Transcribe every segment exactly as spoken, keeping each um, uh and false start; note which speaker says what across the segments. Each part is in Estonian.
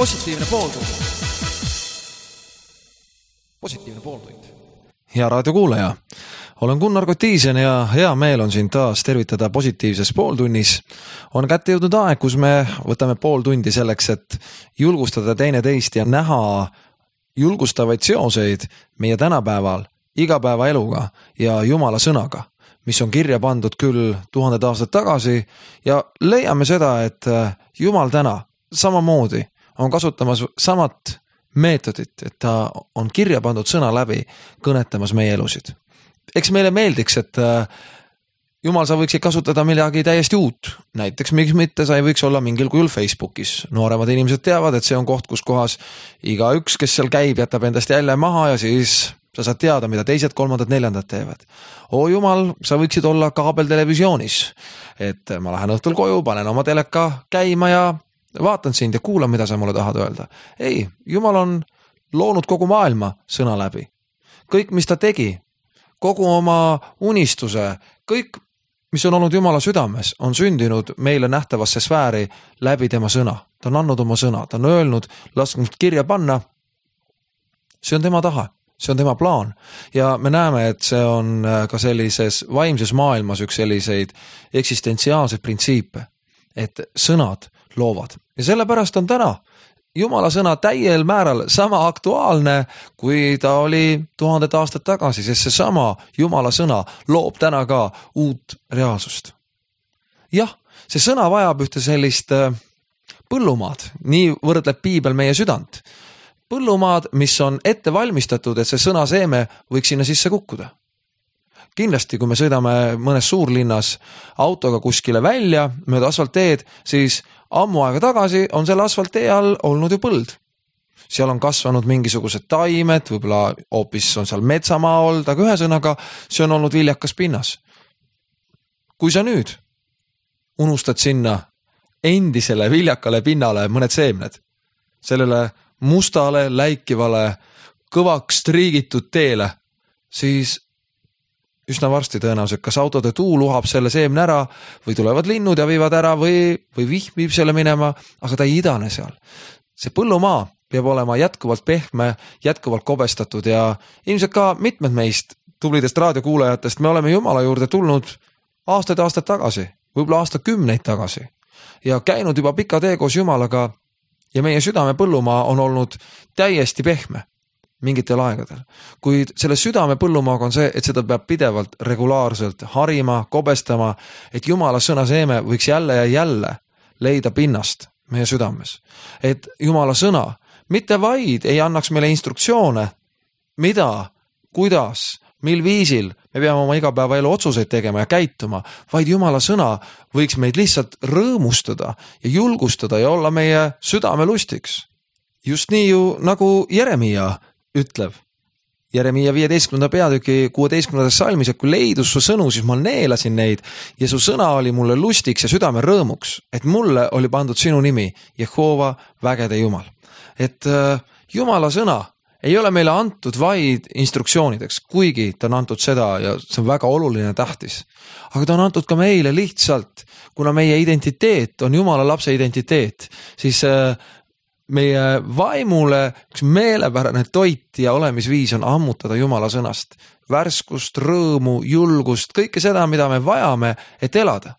Speaker 1: Positiivne pooltund. Positiivne pooltund.
Speaker 2: Hea raadiokuulaja, olen Gunnar Kotiisen ja hea meel on siin taas tervitada positiivses pooltunnis. On kätte jõudnud aeg, kus me võtame pool tundi selleks, et julgustada teine teist ja näha julgustavaid seoseid meie tänapäeval igapäevaeluga ja Jumala sõnaga, mis on kirja pandud küll tuhanded aastad tagasi ja leiame seda, et Jumal täna samamoodi on kasutamas samat meetodit, et ta on kirja pandud sõna läbi kõnetamas meie elusid. Eks meile meeldiks, et Jumal, sa võiksid kasutada midagi täiesti uut. Näiteks miks mitte sa ei võiks olla mingil kujul Facebookis. Nooremad inimesed teavad, et see on koht, kus kohas iga üks, kes seal käib, jätab endast jälje maha ja siis sa saad teada, mida teised, kolmandad, neljandad teevad. O Jumal, sa võiksid olla kaabeltelevisioonis, et ma lähen õhtul koju, panen oma teleka käima ja vaatan sind ja kuulan, mida sa mulle tahad öelda. Ei, Jumal on loonud kogu maailma sõna läbi. Kõik, mis ta tegi, kogu oma unistuse, kõik, mis on olnud Jumala südames, on sündinud meile nähtavasse sfääri läbi tema sõna. Ta on andnud oma sõna, ta on öelnud, lasknud kirja panna. See on tema taha, see on tema plaan. Ja me näeme, et see on ka sellises vaimses maailmas üks selliseid eksistentsiaalseid printsiipe, et sõnad loovad. Ja sellepärast on täna Jumala sõna täiel määral sama aktuaalne, kui ta oli tuhanded aastad tagasi, sest see sama Jumala sõna loob täna ka uut reaalsust. Jah, see sõna vajab ühte sellist põllumaad, nii võrdleb piibel meie südant. Põllumaad, mis on ette valmistatud, et see sõna seeme võiks sinna sisse kukkuda. Kindlasti, kui me sõidame mõnes suurlinnas autoga kuskile välja, mööda asfaltteed, siis ammu aega tagasi on selle asfalttee all olnud ju põld. Seal on kasvanud mingisugused taimed, võib-olla hoopis on seal metsamaa olnud, aga ühesõnaga see on olnud viljakas pinnas. Kui sa nüüd unustad sinna endisele viljakale pinnale mõned seemned, sellele mustale, läikivale, kõvaks triigitud teele, siis üsna varsti tõenäoliselt, kas autode tuul uhab selle seemne ära või tulevad linnud ja viivad ära või, või vihm viib selle minema, aga ta ei idane seal. See põllumaa peab olema jätkuvalt pehme, jätkuvalt kobestatud ja ilmselt ka mitmed meist tublidest raadiokuulajatest me oleme Jumala juurde tulnud aastaid aastaid tagasi, võib-olla aastakümneid tagasi ja käinud juba pika tee koos Jumalaga ja meie südame põllumaa on olnud täiesti pehme mingitel aegadel. Kuid selle südame põllumaaga on see, et seda peab pidevalt regulaarselt harima, kobestama, et Jumala sõna seeme võiks jälle ja jälle leida pinnast meie südames. Et Jumala sõna mitte vaid ei annaks meile instruktsioone, mida, kuidas, mil viisil me peame oma igapäevaelu otsuseid tegema ja käituma, vaid Jumala sõna võiks meid lihtsalt rõõmustada ja julgustada ja olla meie südame lustiks. Just nii ju nagu Jeremia ütleb. Jeremia viieteistkümnenda peatüki kuueteistkümnendas salmis, et kui leidus su sõnu, siis ma neelasin neid ja su sõna oli mulle lustiks ja südame rõõmuks, et mulle oli pandud sinu nimi, Jehova vägede Jumal. Et äh, Jumala sõna ei ole meile antud vaid instruktsioonideks, kuigi ta on antud seda ja see on väga oluline tähtis. Aga ta on antud ka meile lihtsalt, kuna meie identiteet on Jumala lapse identiteet, siis äh, meie vaimule üks meelepärane toit ja olemisviis on ammutada Jumala sõnast. Värskust, rõõmu, julgust, kõike seda, mida me vajame, et elada.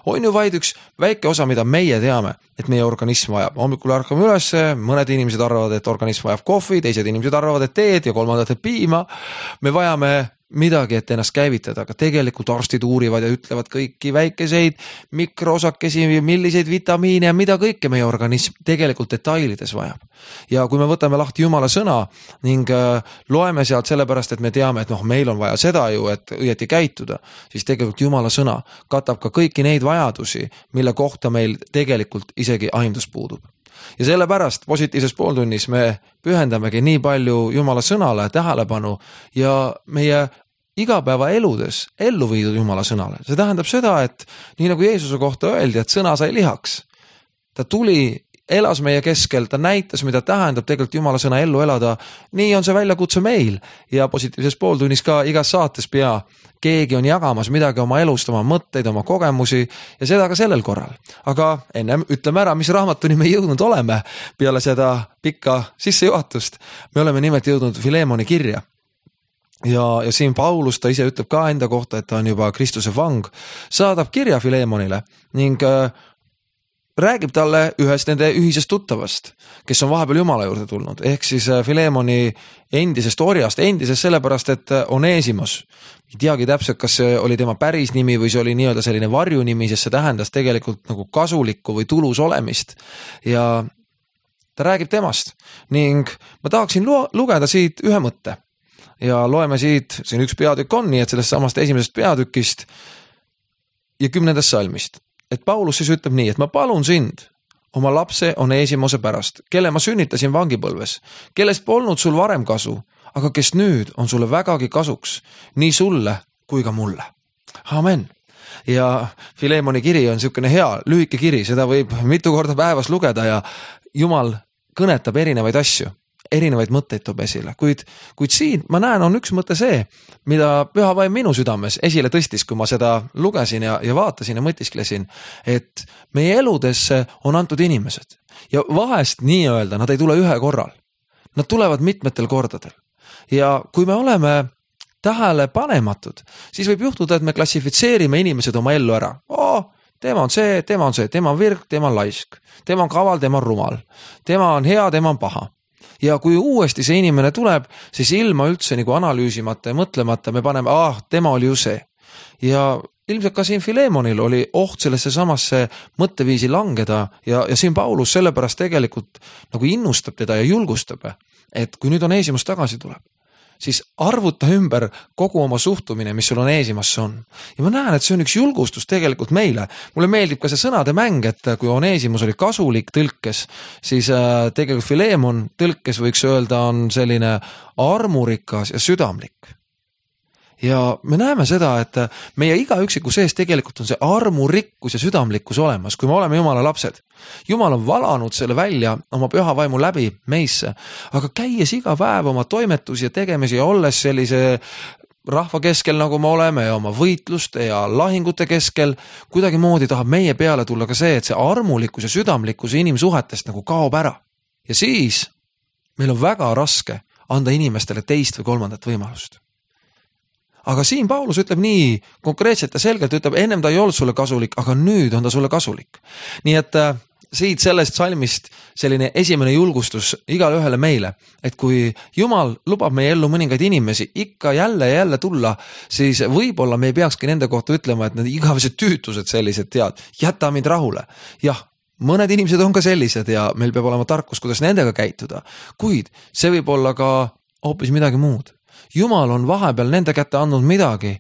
Speaker 2: On ju vaid üks väike osa, mida meie teame, et meie organism vajab. Hommikul ärkame üles, mõned inimesed arvavad, et organism vajab kohvi, teised inimesed arvavad, et teed ja kolmandad, et piima. Me vajame midagi, et ennast käivitada, aga tegelikult arstid uurivad ja ütlevad kõiki väikeseid mikroosakesi, milliseid vitamiine ja mida kõike meie organism tegelikult detailides vajab. Ja kui me võtame lahti Jumala sõna ning loeme sealt sellepärast, et me teame, et noh, meil on vaja seda ju, et õieti käituda, siis tegelikult Jumala sõna katab ka kõiki neid vajadusi, mille kohta meil tegelikult isegi aimdus puudub. Ja sellepärast positiivses pooltunnis me pühendamegi nii palju Jumala sõnale tähelepanu ja meie igapäeva eludes ellu viidud Jumala sõnale. See tähendab seda, et nii nagu Jeesuse kohta öeldi, et sõna sai lihaks. Ta tuli elas meie keskel, ta näitas, mida tähendab tegelikult Jumala sõna ellu elada. Nii on see väljakutse meil ja positiivses pooltunnis ka igas saates pea keegi on jagamas midagi oma elust, oma mõtteid, oma kogemusi ja seda ka sellel korral. Aga ennem ütleme ära, mis raamatuni me jõudnud oleme peale seda pikka sissejuhatust. Me oleme nimelt jõudnud Filemoni kirja. Ja, ja siin Paulus, ta ise ütleb ka enda kohta, et ta on juba Kristuse vang, saadab kirja Filemonile ning äh, räägib talle ühest nende ühisest tuttavast, kes on vahepeal Jumala juurde tulnud. Ehk siis äh, Filemoni endisest orjast, endisest sellepärast, et Onesimos. Ei teagi täpselt, kas see oli tema päris nimi või see oli nii-öelda selline varjunimi, sest see tähendas tegelikult nagu kasulikku või tulus olemist. Ja ta räägib temast ning ma tahaksin lugeda siit ühe mõtte. Ja loeme siit, siin üks peatükk on, nii et sellest samast esimesest peatükist ja kümnendast salmist. Et Paulus siis ütleb nii, et ma palun sind oma lapse Onesimose pärast, kelle ma sünnitasin vangipõlves, kellest polnud sul varem kasu, aga kes nüüd on sulle vägagi kasuks, nii sulle kui ka mulle. Amen. Ja Filemoni kiri on niisugune hea, lühike kiri, seda võib mitu korda päevas lugeda ja Jumal kõnetab erinevaid asju. Erinevaid mõtteid toob esile, kuid, kuid siin ma näen on üks mõte see, mida Püha Vaim minu südames esile tõstis, kui ma seda lugesin ja, ja vaatasin ja mõtisklesin, et meie eludesse on antud inimesed ja vahest nii öelda, nad ei tule ühe korral, nad tulevad mitmetel kordadel ja kui me oleme tähele panematud, siis võib juhtuda, et me klassifitseerime inimesed oma ellu ära. Oo, tema on see, tema on see, tema on virg, tema on laisk, tema on kaval, tema on rumal, tema on hea, tema on paha. Ja kui uuesti see inimene tuleb, siis ilma üldse nagu analüüsimata ja mõtlemata me paneme, ah, tema oli ju see. Ja ilmselt ka siin Filemonil oli oht sellesse samasse mõtteviisi langeda ja, ja siin Paulus sellepärast tegelikult nagu innustab teda ja julgustab, et kui nüüd Onesimus tagasi tuleb, siis arvuta ümber kogu oma suhtumine, mis sul Onesimasse on. Ja ma näen, et see on üks julgustus tegelikult meile. Mulle meeldib ka see sõnade mäng, et kui Onesimus oli kasulik tõlkes, siis tegelikult Filemon tõlkes võiks öelda on selline armurikas ja südamlik. Ja me näeme seda, et meie iga üksiku sees tegelikult on see armurikkus ja südamlikkus olemas, kui me oleme Jumala lapsed. Jumal on valanud selle välja oma püha vaimu läbi meisse, aga käies iga päev oma toimetusi ja tegemisi ja olles sellise rahva keskel, nagu me oleme ja oma võitluste ja lahingute keskel, kuidagi moodi tahab meie peale tulla ka see, et see armulikkus ja südamlikkus inimsuhetest nagu kaob ära. Ja siis meil on väga raske anda inimestele teist või kolmandat võimalust. Aga siin Paulus ütleb nii konkreetselt ja selgelt, ütleb, ennem ta ei olnud sulle kasulik, aga nüüd on ta sulle kasulik. Nii et äh, siit sellest salmist selline esimene julgustus igale ühele meile, et kui Jumal lubab meie ellu mõningaid inimesi ikka jälle ja jälle tulla, siis võib-olla me ei peakski nende kohta ütlema, et need igavesed tüütused sellised tead, jäta mind rahule. Jah, mõned inimesed on ka sellised ja meil peab olema tarkus, kuidas nendega käituda, kuid see võib olla ka hoopis midagi muud. Jumal on vahepeal nende kätte andnud midagi,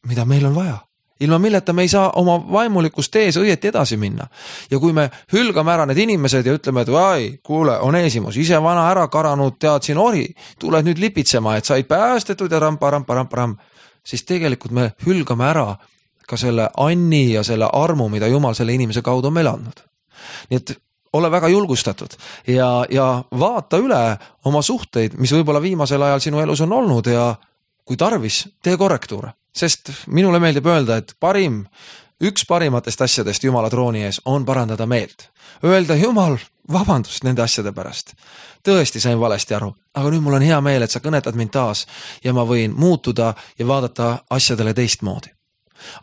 Speaker 2: mida meil on vaja. Ilma milleta me ei saa oma vaimulikust tees õieti edasi minna. Ja kui me hülgame ära need inimesed ja ütleme, et vai, kuule, Onesimus, ise vana ära karanud, tead siin ori, tuled nüüd lipitsema, et said päästetud ja rampa, rampa, rampa, rampa, siis tegelikult me hülgame ära ka selle anni ja selle armu, mida Jumal selle inimese kaudu on meil andnud. Nii et ole väga julgustatud ja, ja vaata üle oma suhteid, mis võib-olla viimasel ajal sinu elus on olnud ja kui tarvis, tee korrektuure. Sest minule meeldib öelda, et parim, üks parimatest asjadest Jumala trooni ees on parandada meelt. Öelda, Jumal, vabandust nende asjade pärast. Tõesti sain valesti aru, aga nüüd mul on hea meel, et sa kõnetad mind taas ja ma võin muutuda ja vaadata asjadele teistmoodi.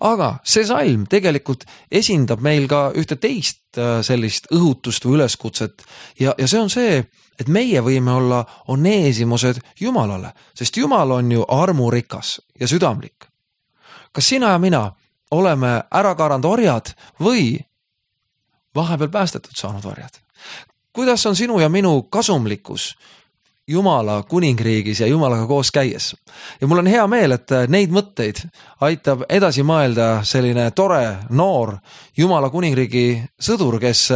Speaker 2: Aga see salm tegelikult esindab meil ka ühte teist sellist õhutust või üleskutset ja, ja see on see, et meie võime olla Onesimused Jumalale, sest Jumal on ju armurikas ja südamlik. Kas sina ja mina oleme ära karanud orjad või vahepeal päästetud saanud orjad? Kuidas on sinu ja minu kasumlikkus Jumala kuningriigis ja Jumalaga koos käies? Ja mul on hea meel, et neid mõtteid aitab edasi mõelda selline tore, noor Jumala kuningriigi sõdur, kes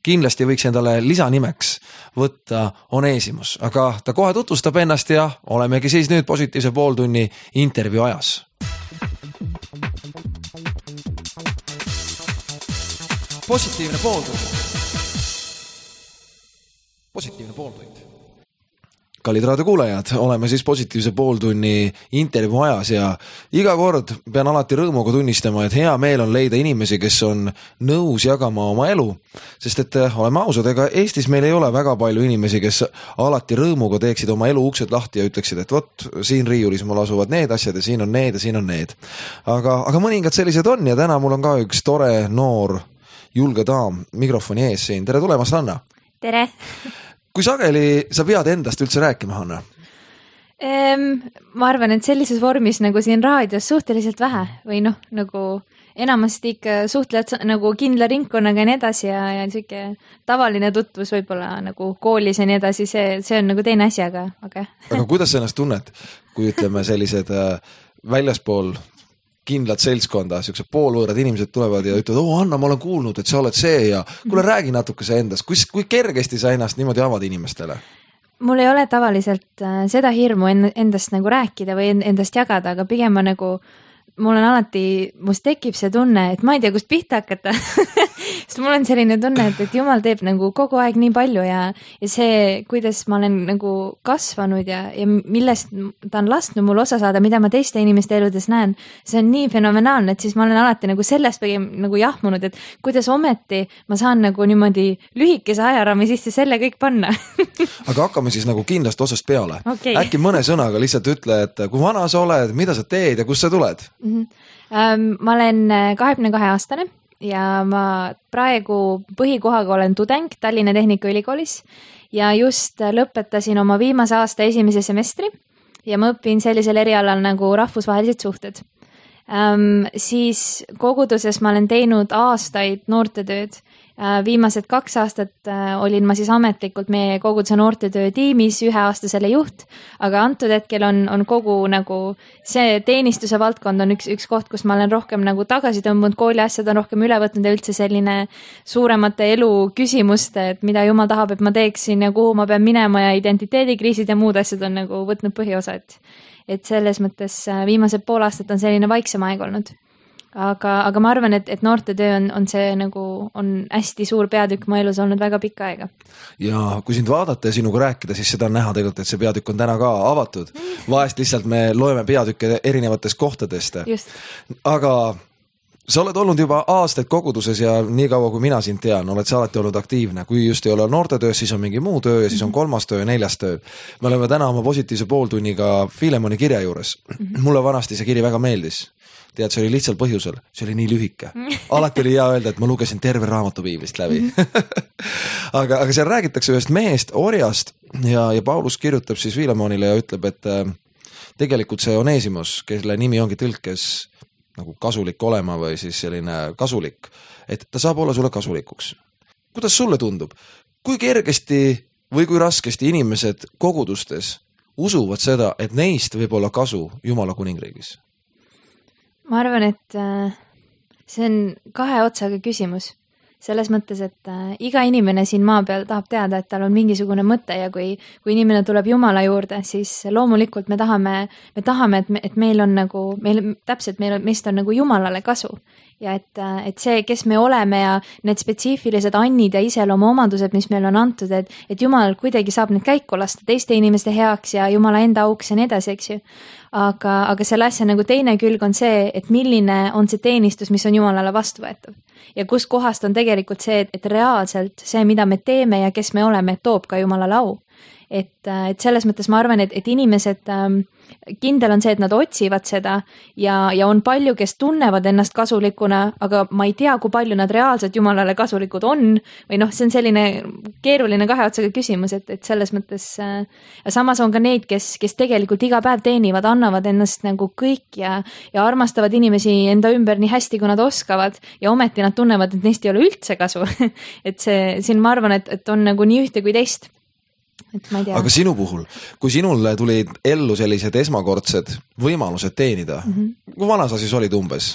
Speaker 2: kindlasti võiks endale lisanimeks võtta Onesimus. Aga ta kohe tutvustab ennast ja olemegi siis nüüd positiivse pooltunni intervjuu ajas.
Speaker 1: Positiivne pooltunni. positiivne pooltund.
Speaker 2: Kallid raadiokuulajad, oleme siis positiivse pooltunni intervjuu ajas ja iga kord pean alati rõõmuga tunnistama, et hea meel on leida inimesi, kes on nõus jagama oma elu, sest et oleme ausad, ega Eestis meil ei ole väga palju inimesi, kes alati rõõmuga teeksid oma elu uksed lahti ja ütleksid, et vot, siin riiulis mul asuvad need asjad ja siin on need ja siin on need. Aga, aga mõningad sellised on ja täna mul on ka üks tore, noor, julge daam mikrofoni ees siin. Tere tulemast, Hanna!
Speaker 3: Tere!
Speaker 2: Kui sageli sa pead endast üldse rääkima, Hanna?
Speaker 3: Ehm, ma arvan, et sellises vormis nagu siin raadios suhteliselt vähe või noh, nagu enamasti ikka suhtled nagu kindla ringkonnaga ja nii edasi ja, ja siuke tavaline tutvus võib-olla nagu koolis ja nii edasi, see, see on nagu teine asi, aga, aga.
Speaker 2: aga kuidas sa ennast tunned, kui ütleme sellised äh, väljaspool kindlad seltskonda, siuksed poolvõõrad inimesed tulevad ja ütlevad, oo Anna, ma olen kuulnud, et sa oled see ja kuule räägi natuke see endast, kui, kui kergesti sa ennast niimoodi avad inimestele?
Speaker 3: Mul ei ole tavaliselt äh, seda hirmu endast nagu rääkida või endast jagada, aga pigem ma nagu, mul on alati, must tekib see tunne, et ma ei tea, kust pihta hakata. Sest mul on selline tunne, et, et Jumal teeb nagu kogu aeg nii palju ja, ja see, kuidas ma olen nagu kasvanud ja, ja millest ta on lasknud mul osa saada, mida ma teiste inimeste eludes näen, see on nii fenomenaalne, et siis ma olen alati nagu sellest pigem nagu jahmunud, et kuidas ometi ma saan nagu niimoodi lühikese ajarami sisse selle kõik panna.
Speaker 2: Aga hakkame siis nagu kindlast osast peale.
Speaker 3: Okay.
Speaker 2: Äkki mõne sõnaga lihtsalt ütle, et kui vana sa oled, mida sa teed ja kust sa tuled?
Speaker 3: Mm-hmm. Um, ma olen kahekümne kahe aastane ja ma praegu põhikohaga olen tudeng Tallinna Tehnikaülikoolis ja just lõpetasin oma viimase aasta esimese semestri ja ma õpin sellisel erialal nagu rahvusvahelised suhted. Um, siis koguduses ma olen teinud aastaid noortetööd. Uh, viimased kaks aastat uh, olin ma siis ametlikult meie koguduse noortetöö tiimis üheaastasele juht, aga antud hetkel on, on kogu nagu see teenistuse valdkond on üks, üks koht, kus ma olen rohkem nagu tagasi tõmbunud, kooli asjad on rohkem üle võtnud ja üldse selline suuremate elu küsimuste, et mida Jumal tahab, et ma teeksin ja kuhu ma pean minema ja identiteedikriisid ja muud asjad on nagu võtnud põhiosa, et, et selles mõttes viimased pool aastat on selline vaiksem aeg olnud. Aga, aga ma arvan, et, et noortetöö on, on see nagu, on hästi suur peatükk mu elus olnud väga pikka aega.
Speaker 2: Ja kui sind vaadata ja sinuga rääkida, siis seda on näha tegelikult, et see peatükk on täna ka avatud. Vahest lihtsalt me loeme peatükke erinevatest kohtadest.
Speaker 3: Just.
Speaker 2: Aga sa oled olnud juba aastaid koguduses ja nii kaua, kui mina sind tean, oled sa alati olnud aktiivne. Kui just ei ole noortetöös, siis on mingi muu töö ja siis on kolmas töö ja neljas töö. Me oleme täna oma positiivse pooltunniga Filemoni kirja juures. Mulle vanasti see kiri väga meeldis. Tead, see oli lihtsalt põhjusel, see oli nii lühike. Alati oli hea öelda, et ma lugesin terve raamatu piiblist läbi. aga, aga seal räägitakse ühest mehest, orjast ja, ja Paulus kirjutab siis Filemonile ja ütleb, et äh, tegelikult see Onesimus, kelle nimi ongi tõlkes nagu kasulik olema või siis selline kasulik, et ta saab olla sulle kasulikuks. Kuidas sulle tundub? Kui kergesti või kui raskesti inimesed kogudustes usuvad seda, et neist võib olla kasu Jumala kuningriigis?
Speaker 3: Ma arvan, et see on kahe otsaga küsimus. Selles mõttes, et iga inimene siin maa peal tahab teada, et tal on mingisugune mõte ja kui, kui inimene tuleb Jumala juurde, siis loomulikult me tahame, me tahame, et, me, et meil on nagu, meil täpselt, meil on, meist on nagu Jumalale kasu. Ja et, et see, kes me oleme ja need spetsiifilised annid ja iseloomu omadused, mis meil on antud, et, et Jumal kuidagi saab need käiku lasta teiste inimeste heaks ja Jumala enda auks ja nii edasi, eks ju. Aga, aga selle asja nagu teine külg on see, et milline on see teenistus, mis on Jumalale vastuvõetav. Ja kus kohast on tegelikult see, et reaalselt see, mida me teeme ja kes me oleme, toob ka Jumalale au. Et, et selles mõttes ma arvan, et, et inimesed, kindel on see, et nad otsivad seda ja, ja on palju, kes tunnevad ennast kasulikuna, aga ma ei tea, kui palju nad reaalselt Jumalale kasulikud on või noh, see on selline keeruline kahe otsaga küsimus, et, et selles mõttes ja samas on ka neid, kes, kes tegelikult iga päev teenivad, annavad ennast nagu kõik ja, ja armastavad inimesi enda ümber nii hästi, kui nad oskavad ja ometi nad tunnevad, et neist ei ole üldse kasu. Et see, siin ma arvan, et, et on nagu nii ühte kui teist. Et ma ei tea.
Speaker 2: Aga sinu puhul, kui sinule tulid ellu sellised esmakordsed võimalused teenida, mm-hmm. kui vana sa siis olid umbes?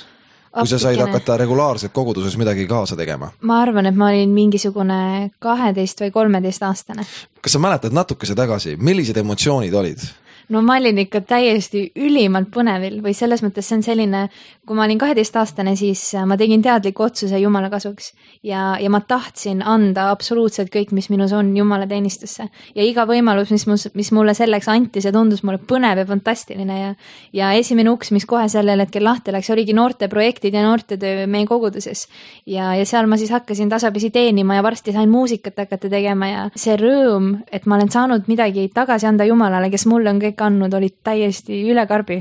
Speaker 2: Kui sa said hakata regulaarselt koguduses midagi kaasa tegema?
Speaker 3: Ma arvan, et ma olin mingisugune kaheteist või kolmeteist aastane.
Speaker 2: Kas sa mäletad natukese tagasi, millised emotsioonid olid?
Speaker 3: no ma olin ikka täiesti ülimalt põnevil või selles mõttes see on selline, kui ma olin kaheteistaastane, siis ma tegin teadliku otsuse Jumala kasuks ja, ja ma tahtsin anda absoluutselt kõik, mis minus on Jumala teenistusse ja iga võimalus, mis, mus, mis mulle selleks anti, see tundus mulle põnev ja fantastiline ja, ja esimene uks, mis kohe sellel hetkel lahti läks, oligi noorteprojektid ja noortetöö meie koguduses ja, ja seal ma siis hakkasin tasapisi teenima ja varsti sain muusikat hakata tegema ja see rõõm, et ma olen saanud midagi tagasi anda Jumalale, kes mulle on kõik andnud, olid täiesti üle karbi.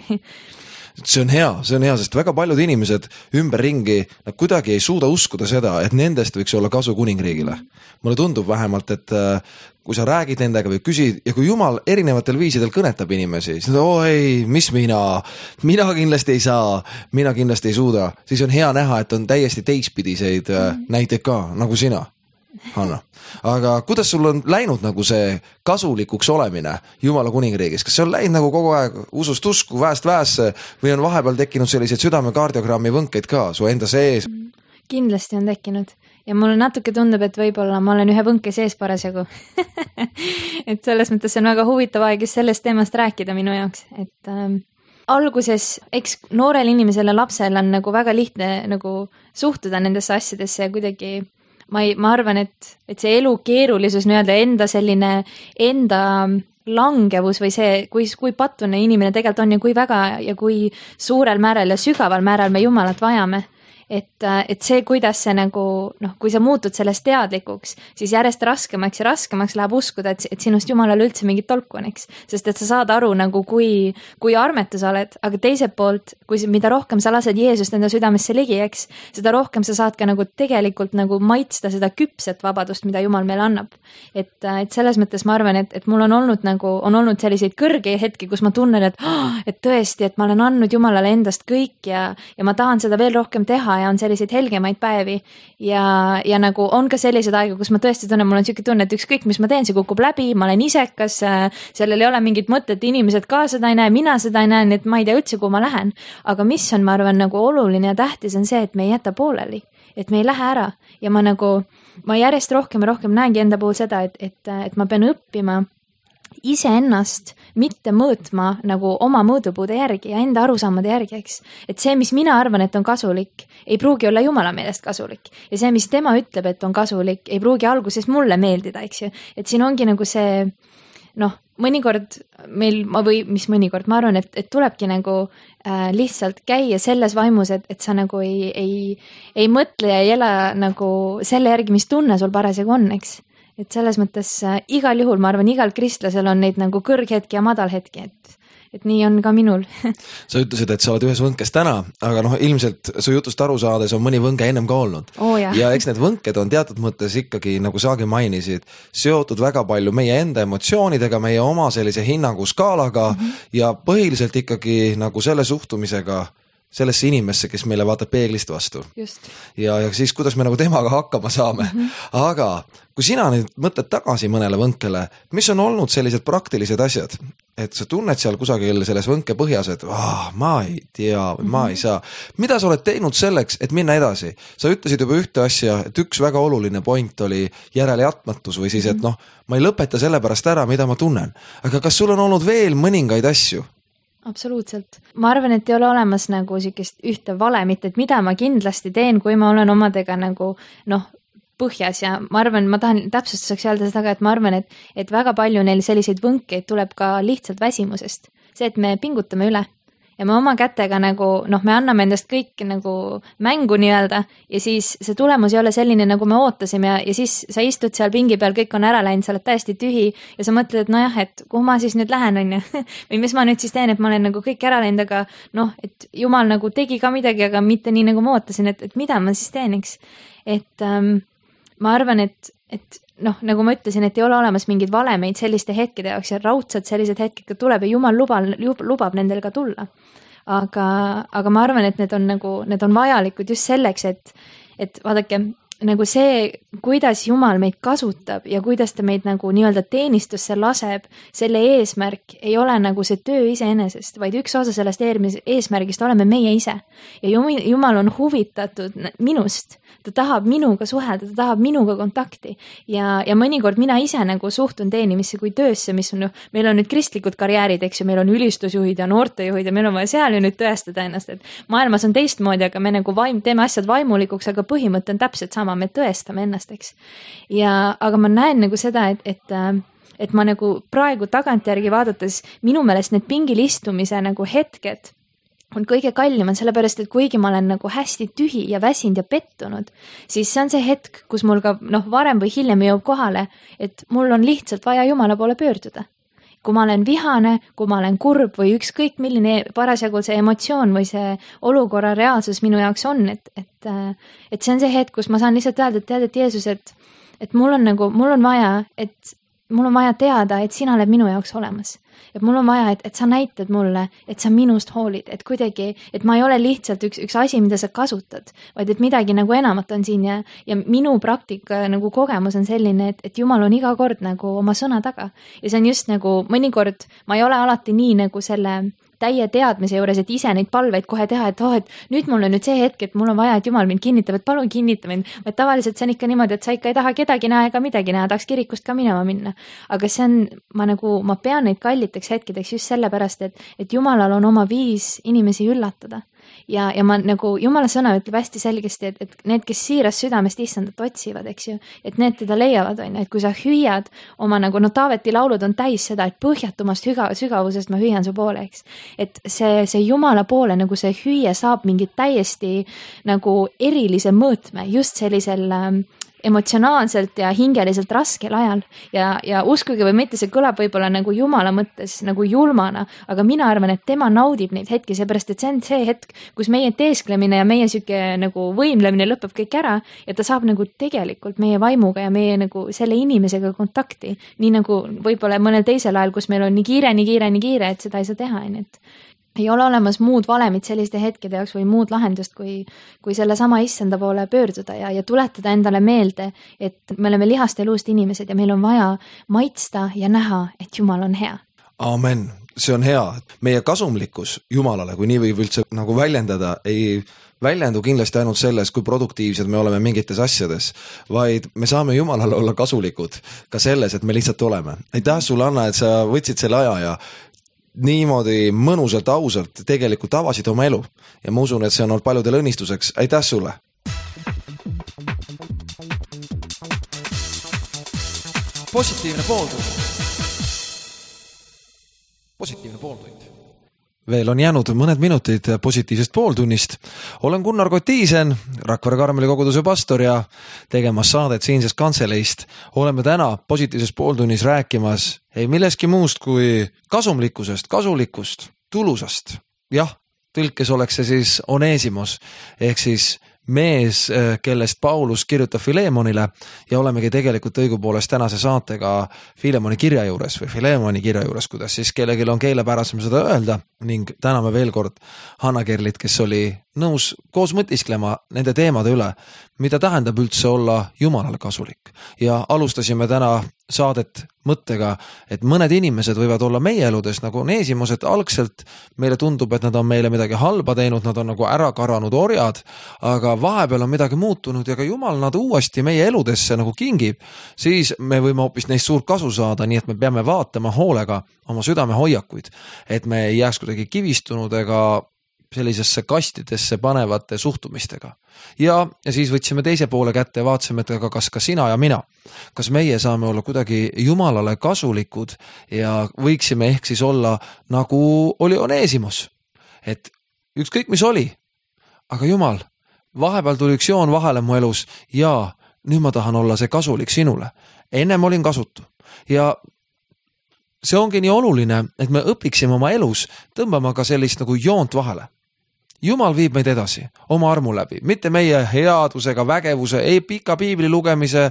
Speaker 2: See on hea, see on hea, sest väga paljud inimesed ümberringi, nad kuidagi ei suuda uskuda seda, et nendest võiks olla kasu kuningriigile. Mulle tundub vähemalt, et kui sa räägid nendega või küsid ja kui Jumal erinevatel viisidel kõnetab inimesi, siis oo ei, mis mina, mina kindlasti ei saa, mina kindlasti ei suuda, siis on hea näha, et on täiesti teistpidiseid näiteid ka, nagu sina. Hanna, aga kuidas sul on läinud nagu see kasulikuks olemine Jumala kuningriigis? Kas see on läinud nagu kogu aeg usust usku, väest väesse või on vahepeal tekkinud selliseid südamekardiogrammi võnkeid ka su enda sees?
Speaker 3: Kindlasti on tekkinud ja mulle natuke tundub, et võib-olla ma olen ühe võnke sees parasjagu et selles mõttes see on väga huvitav aeg just sellest teemast rääkida minu jaoks, et ähm, alguses, eks noorel inimesel ja lapsel on nagu väga lihtne nagu suhtuda nendesse asjadesse ja kuidagi ma, ei, ma arvan, et, et see elu keerulisus nii-öelda enda selline enda langevus või see, kui, kui patune inimene tegelikult on ja kui väga ja kui suurel määral ja sügaval määral me Jumalat vajame. Et, et see, kuidas see nagu, noh, kui sa muutud sellest teadlikuks, siis järjest raskemaks ja raskemaks läheb uskuda, et, et sinust Jumalale üldse mingit tolku on, eks. Sest et sa saad aru nagu, kui, kui armetu sa oled, aga teiselt poolt, kui mida rohkem sa lased Jeesust enda südamesse ligi, eks, seda rohkem sa saad ka nagu tegelikult nagu maitsta seda küpset vabadust, mida Jumal meile annab. Et, et selles mõttes ma arvan, et, et mul on olnud nagu, on olnud selliseid kõrge hetki, kus ma tunnen, et, et tõesti, et ma olen andnud Jumalale endast kõik ja, ja ma tahan seda veel rohkem teha ja on selliseid helgemaid päevi ja, ja nagu on ka sellised aega, kus ma tõesti tunnen, mul on siuke tunne, et ükskõik, mis ma teen, see kukub läbi, ma olen isekas, sellel ei ole mingit mõtet, inimesed ka seda ei näe, mina seda ei näe, nii et ma ei tea üldse, kuhu ma lähen. Aga mis on, ma arvan, nagu oluline ja tähtis on see, et me ei jäta pooleli, et me ei lähe ära ja ma nagu, ma järjest rohkem ja rohkem näengi enda puhul seda, et, et, et ma pean õppima iseennast mitte mõõtma nagu oma mõõdupuude järgi ja enda arusaamade järgi, eks. Et see, mis mina arvan, et on kasulik, ei pruugi olla Jumala meelest kasulik. Ja see, mis tema ütleb, et on kasulik, ei pruugi alguses mulle meeldida, eks ju. Et siin ongi nagu see, noh, mõnikord meil, või mis mõnikord, ma arvan, et, et tulebki nagu äh, lihtsalt käia selles vaimus, et, et sa nagu ei, ei, ei mõtle ja ei ela nagu selle järgi, mis tunne sul parasjagu on, eks. Et selles mõttes äh, igal juhul, ma arvan, igal kristlasel on neid nagu kõrghetki ja madalhetki, et, et nii on ka minul.
Speaker 2: Sa ütlesid, et sa oled ühes võnkes täna, aga noh, ilmselt su jutust aru saades on mõni võnge ennem ka olnud.
Speaker 3: Oh, ja.
Speaker 2: ja eks need võnked on teatud mõttes ikkagi, nagu saagi mainisid, seotud väga palju meie enda emotsioonidega, meie oma sellise hinnangu skaalaga mm -hmm. ja põhiliselt ikkagi nagu selle suhtumisega sellesse inimesse, kes meile vaatab peeglist vastu.
Speaker 3: Just.
Speaker 2: Ja, ja siis, kuidas me nagu temaga hakkama saame. Mm -hmm. Aga kui sina nüüd mõtled tagasi mõnele võnkele, mis on olnud sellised praktilised asjad, et sa tunned seal kusagil selles võnke põhjas, et ah, ma ei tea, mm -hmm. ma ei saa. Mida sa oled teinud selleks, et minna edasi? Sa ütlesid juba ühte asja, et üks väga oluline point oli järelejatmatus või siis, et noh, ma ei lõpeta selle pärast ära, mida ma tunnen. Aga kas sul on olnud veel mõningaid asju?
Speaker 3: Absoluutselt. Ma arvan, et ei ole olemas nagu sikest ühte valemit, et mida ma kindlasti teen, kui ma olen omadega nagu noh, põhjas ja ma arvan, ma tahan täpsustuseks öelda seda, et ma arvan, et, et väga palju neil selliseid võnkeid tuleb ka lihtsalt väsimusest. See, et me pingutame üle ja me oma kätega nagu, noh, me anname endast kõik nagu mängu nii-öelda ja siis see tulemus ei ole selline, nagu me ootasime ja, ja siis sa istud seal pingi peal, kõik on ära läinud, sa oled täiesti tühi ja sa mõtled, et nojah, et kuhu ma siis nüüd lähen, on ju, või mis ma nüüd siis teen, et ma olen nagu kõik ära läinud, aga noh, et Jumal nagu tegi ka midagi, aga mitte nii, nagu ma ootasin, et, et mida ma siis teen, eks. Et ähm, ma arvan, et, et noh, nagu ma ütlesin, et ei ole olemas mingeid valemeid selliste hetkede jaoks ja raudselt sellised hetked ka tuleb ja Jumal lubab, lubab nendel ka tulla. Aga, aga ma arvan, et need on nagu, need on vajalikud just selleks, et, et vaadake, nagu see, kuidas Jumal meid kasutab ja kuidas ta meid nagu nii-öelda teenistusse laseb, selle eesmärk ei ole nagu see töö iseenesest, vaid üks osa sellest eesmärgist oleme meie ise. Ja Jumal on huvitatud minust, ta tahab minuga suhelda, ta tahab minuga kontakti ja, ja mõnikord mina ise nagu suhtun teenimisse kui töösse, mis on, meil on nüüd kristlikud karjäärid, eks ju, meil on ülistusjuhid ja noortejuhid ja meil on vaja seal ju nüüd tõestada ennast, et maailmas on teistmoodi, aga me nagu vaim, teeme asjad vaimulikuks, aga põhimõte on täpselt sama, me tõestame ennast, eks. Ja, aga ma näen nagu seda, et, et, et ma nagu praegu tagantjärgi vaadates minu meelest need pingil istumise nagu hetked on kõige kallimad, sellepärast, et kuigi ma olen nagu hästi tühi ja väsinud ja pettunud, siis see on see hetk, kus mul ka noh, varem või hiljem jõuab kohale, et mul on lihtsalt vaja Jumala poole pöörduda. Kui ma olen vihane, kui ma olen kurb või ükskõik milline parasjagu see emotsioon või see olukorra reaalsus minu jaoks on, et, et, et see on see hetk, kus ma saan lihtsalt öelda, et tead, et Jeesus, et, et mul on nagu, mul on vaja, et mul on vaja teada, et sina oled minu jaoks olemas. Et mul on vaja, et, et sa näitad mulle, et sa minust hoolid, et kuidagi, et ma ei ole lihtsalt üks, üks asi, mida sa kasutad, vaid et midagi nagu enamat on siin ja, ja minu praktika nagu kogemus on selline, et, et Jumal on iga kord nagu oma sõna taga. Ja see on just nagu mõnikord, ma ei ole alati nii nagu selle täie teadmise juures, et ise neid palveid kohe teha, et oh, et nüüd mul on nüüd see hetk, et mul on vaja, et Jumal mind kinnitab, et palun kinnita mind. Et tavaliselt see on ikka niimoodi, et sa ikka ei taha kedagi näha ega midagi näha, tahaks kirikust ka minema minna. Aga see on, ma nagu, ma pean neid kalliteks hetkedeks just sellepärast, et, et Jumalal on oma viis inimesi üllatada. Ja, ja ma nagu, Jumala sõna ütleb hästi selgesti, et, et need, kes siiras südamest issandat otsivad, eks ju, et need teda leiavad, on, et kui sa hüüad oma nagu, no Taaveti laulud on täis seda, et põhjatumast hüga, sügavusest ma hüüan su poole, eks. Et see, see Jumala poole nagu see hüüe saab mingit täiesti nagu erilise mõõtme just sellisel ähm, emotsionaalselt ja hingeliselt raskel ajal ja, ja uskuge või mitte, see kõlab võib-olla nagu Jumala mõttes nagu julmana, aga mina arvan, et tema naudib neid hetki, seepärast, et see on see hetk, kus meie teesklemine ja meie süke nagu võimlemine lõpeb kõik ära ja ta saab nagu tegelikult meie vaimuga ja meie nagu selle inimesega kontakti, nii nagu võib-olla mõnel teisel ajal, kus meil on nii kiire, nii kiire, nii kiire, et seda ei saa teha, nii et ei ole olemas muud valemit selliste hetkede jaoks või muud lahendust, kui, kui selle sama issanda poole pöörduda ja, ja tuletada endale meelde, et me oleme lihast ja luust inimesed ja meil on vaja maitsta ja näha, et Jumal on hea.
Speaker 2: Amen, see on hea. Meie kasumlikkus Jumalale, kui nii võib üldse nagu väljendada, ei väljendu kindlasti ainult selles, kui produktiivsed me oleme mingites asjades, vaid me saame Jumalale olla kasulikud ka selles, et me lihtsalt oleme. Aitäh sulle, Anna, et sa võtsid selle aja ja niimoodi mõnusalt, ausalt tegelikult avasid oma elu ja ma usun, et see on olnud paljudel õnnistuseks. Aitäh sulle!
Speaker 1: Positiivne pooltund. Positiivne pooltund.
Speaker 2: Veel on jäänud mõned minutid positiivsest pooltunnist. Olen Gunnar Kotiisen, Rakvere Karmeli koguduse pastor ja tegemas saadet siinsest kantseleist. Oleme täna positiivses pooltunnis rääkimas ei milleski muust kui kasumlikkusest, kasulikust, tulusast. Jah, tõlkes oleks see siis Onesimos ehk siis mees, kellest Paulus kirjutab Filemonile ja olemegi tegelikult õigupoolest tänase saatega Filemoni kirja juures või Filemoni kirja juures, kuidas siis kellelgi on keelepärasem seda öelda ning täname veel kord Hanna Kerlit, kes oli nõus koos mõtisklema nende teemade üle, mida tähendab üldse olla Jumalale kasulik. Ja alustasime täna saadet mõttega, et mõned inimesed võivad olla meie eludes nagu Onesimos, et algselt meile tundub, et nad on meile midagi halba teinud, nad on nagu ära karanud orjad, aga vahepeal on midagi muutunud ja ka Jumal nad uuesti meie eludesse nagu kingib, siis me võime hoopis neist suurt kasu saada, nii et me peame vaatama hoolega oma südame hoiakuid, et me ei jääks kuidagi kivistunud ega sellisesse kastidesse panevate suhtumistega. Ja, ja siis võtsime teise poole kätte ja vaatasime, et aga kas ka sina ja mina, kas meie saame olla kuidagi Jumalale kasulikud ja võiksime ehk siis olla nagu oli Onesimos, et ükskõik mis oli, aga Jumal, vahepeal tuli üks joon vahele mu elus ja nüüd ma tahan olla see kasulik sinule. Ennem olin kasutu ja see ongi nii oluline, et me õpiksime oma elus tõmbama ka sellist nagu joont vahele. Jumal viib meid edasi oma armu läbi, mitte meie headusega, vägevuse, ei pika piibli lugemise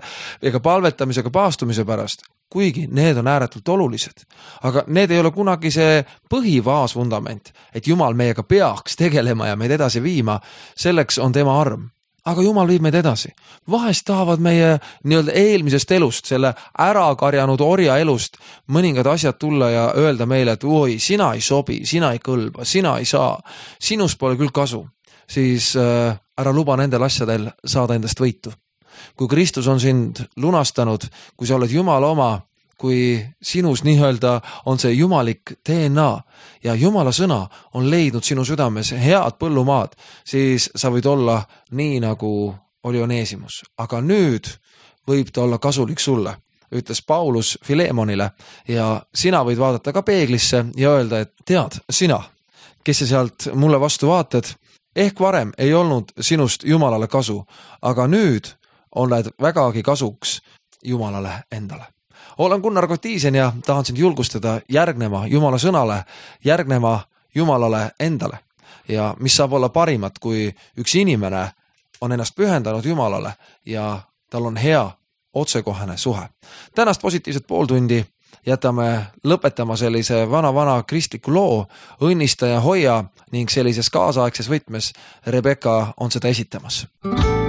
Speaker 2: ega palvetamisega paastumise pärast, kuigi need on ääretult olulised. Aga need ei ole kunagi see põhivaasvundament, et Jumal meiega peaks tegelema ja meid edasi viima, selleks on tema arm. aga Jumal viib meid edasi. Vahest tahavad meie nii-öelda eelmisest elust, selle ära karjanud orja elust mõningad asjad tulla ja öelda meile, et oi, sina ei sobi, sina ei kõlba, sina ei saa, sinust pole küll kasu. Siis äh, ära luba nendel asjadel saada endast võitu. Kui Kristus on sind lunastanud, kui sa oled Jumala oma, kui sinus nii-öelda on see jumalik D N A ja Jumala sõna on leidnud sinu südames head põllumaad, siis sa võid olla nii, nagu oli Oneesimus. Aga nüüd võib ta olla kasulik sulle, ütles Paulus Filemonile ja sina võid vaadata ka peeglisse ja öelda, et tead, sina, kes sa sealt mulle vastu vaatad, ehk varem ei olnud sinust Jumalale kasu, aga nüüd oled vägagi kasuks Jumalale endale. Olen Gunnar Kotiisen ja tahan sind julgustada järgnema Jumala sõnale, järgnema Jumalale endale. Ja mis saab olla parimat, kui üks inimene on ennast pühendanud Jumalale ja tal on hea otsekohane suhe. Tänast positiivset pooltundi jätame lõpetama sellise vana-vana kristliku loo, õnnista ja hoia ning sellises kaasaegses võtmes Rebecca on seda esitamas.
Speaker 4: Oh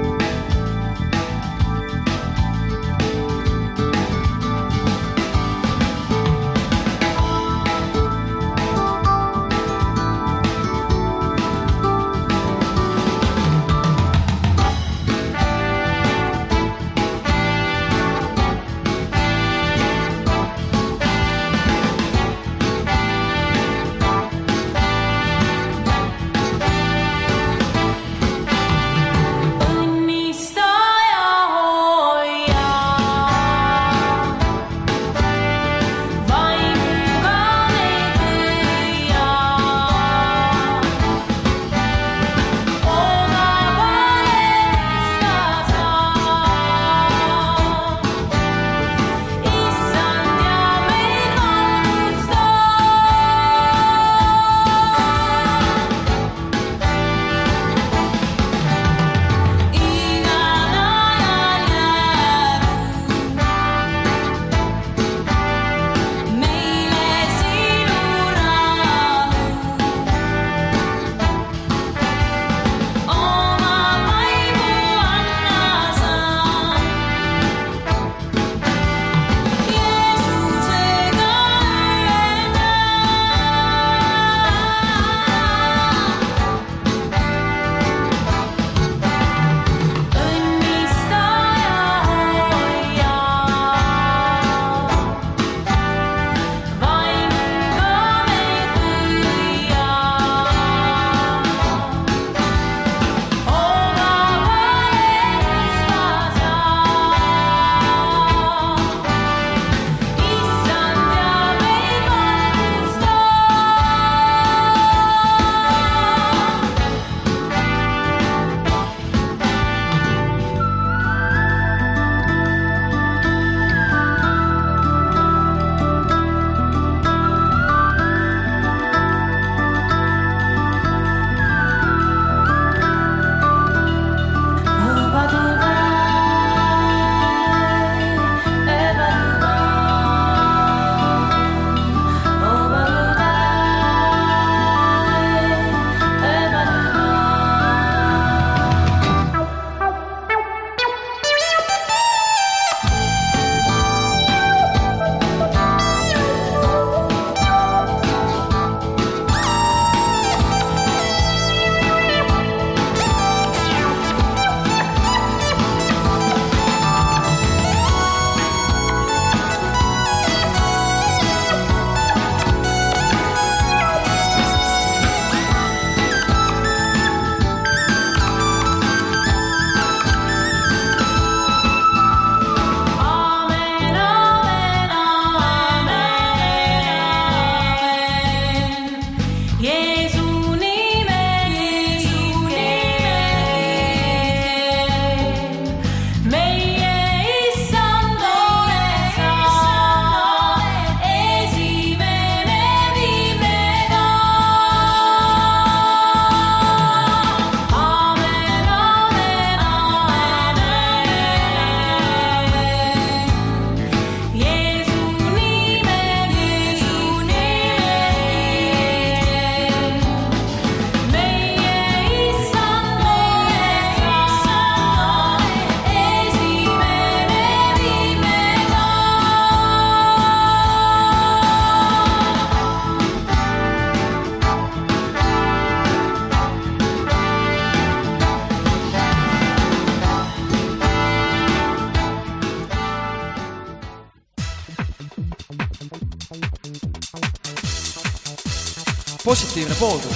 Speaker 1: positiivne pooltund.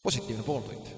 Speaker 1: positiivne pooltund